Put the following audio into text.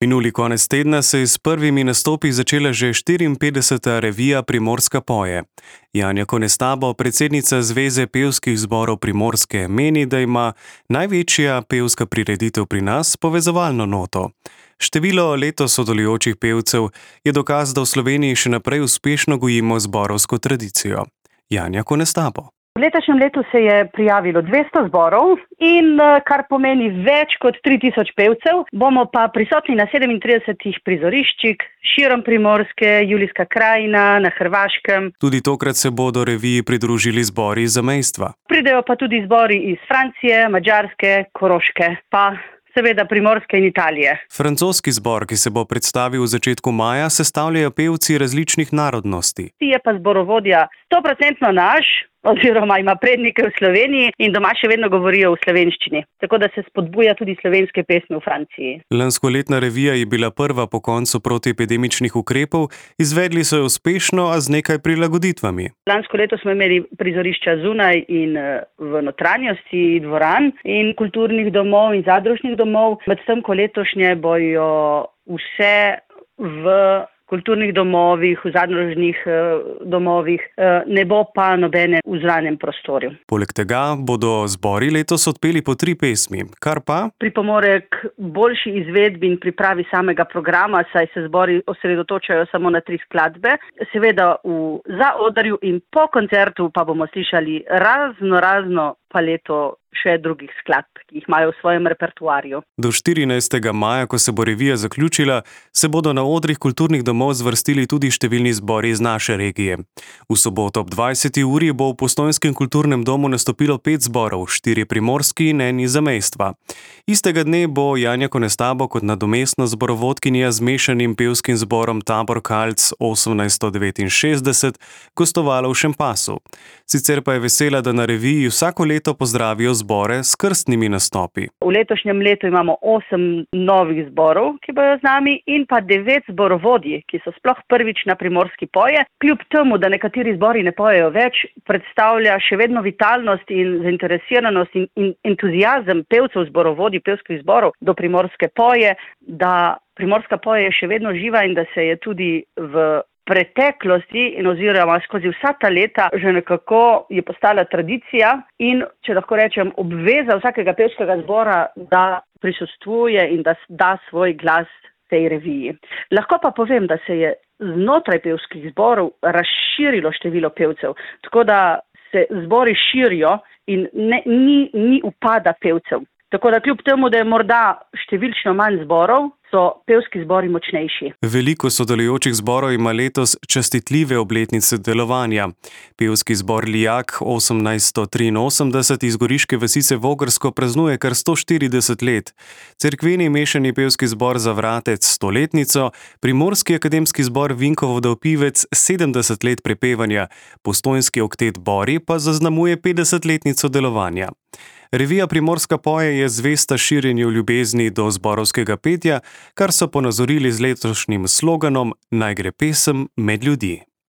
Minuli konec tedna se je s prvimi nastopi začela že 54. revija Primorska poje. Janja Konestabo, predsednica Zveze pevskih zborov Primorske, meni, da ima največja pevska prireditev pri nas povezovalno noto. Število letos sodelujočih pevcev je dokaz, da v Sloveniji še naprej uspešno gojimo zborovsko tradicijo. Janja Konestabo. V letošnjem letu se je prijavilo 200 zborov in kar pomeni več kot 3000 pevcev. Bomo pa prisotni na 37 prizoriščih širom Primorske, Julijska krajina, na Hrvaškem. Tudi tokrat se bodo reviji pridružili zbori iz zamejstva. Pridejo pa tudi zbori iz Francije, Madžarske, Koroške, pa seveda Primorske in Italije. Francoski zbor, ki se bo predstavil v začetku maja, sestavljajo pevci različnih narodnosti. Je pa zborovodja 100% naš, oziroma ima prednike v Sloveniji in doma še vedno govorijo v slovenščini. Tako da se spodbuja tudi slovenske pesmi v Franciji. Lanskoletna revija je bila prva po koncu protiepidemičnih ukrepov, izvedli so jo uspešno, a z nekaj prilagoditvami. Lansko leto smo imeli prizorišča zunaj in v notranjosti dvoran in kulturnih domov in zadružnih domov. Medtem ko letošnje bojo vse v kulturnih domovih, v zadružnih domovih, ne bo pa nobene v zranem prostoru. Poleg tega bodo zbori letos odpeli po 3 pesmi, kar pa pripomore k boljši izvedbi in pripravi samega programa, saj se zbori osredotočajo samo na 3 skladbe. Seveda v zaodrju in po koncertu pa bomo slišali razno paleto še drugih skladb, ki jih imajo v svojem repertoarju. Do 14. maja, ko se bo revija zaključila, se bodo na odrih kulturnih domov zvrstili tudi številni zbori iz naše regije. V soboto ob 20. uri bo v Postojnskem kulturnem domu nastopilo 5 zborov, 4 primorski in 1 iz zamejstva. Istega dne bo Janja Konestabo kot nadomestna zborovodkinja z mešanim pevskim zborom Tabor Kalc 1869 gostovala v Šempasu. Sicer pa je vesela, da na reviji vsako leto pozdravijo zbore s krstnimi nastopi. V letošnjem letu imamo 8 novih zborov, ki bojo z nami, in pa 9 zborovodij, ki so sploh prvič na Primorski poje. Kljub temu, da nekateri zbori ne pojejo več, predstavlja še vedno vitalnost in zainteresiranost in entuziazem pevcev zborovodij, pevskih zborov do Primorske poje, da Primorska poje je še vedno živa in da se je tudi v preteklosti in oziroma skozi vsa ta leta že nekako je postala tradicija in, če lahko rečem, obveza vsakega pevskega zbora, da prisostvuje in da da svoj glas tej reviji. Lahko pa povem, da se je znotraj pevskih zborov razširilo število pevcev, tako da se zbori širijo in ni upada pevcev. Tako da kljub temu, da je morda številčno manj zborov, so pevski zbori močnejši. Veliko sodelujočih zborov ima letos častitljive obletnice delovanja. Pevski zbor Lijak 1883 iz goriške vasice Vogrsko praznuje kar 140 let. Cerkveni mešani pevski zbor Zavratec 100-letnico, Primorski akademski zbor Vinkovo Dovpivec 70 let prepevanja, Postojnski oktet Bori pa zaznamuje 50-letnico delovanja. Revija Primorska poje je zvesta širjenju ljubezni do zborovskega petja, kar so ponazorili z letošnjim sloganom Naj gre pesem med ljudi.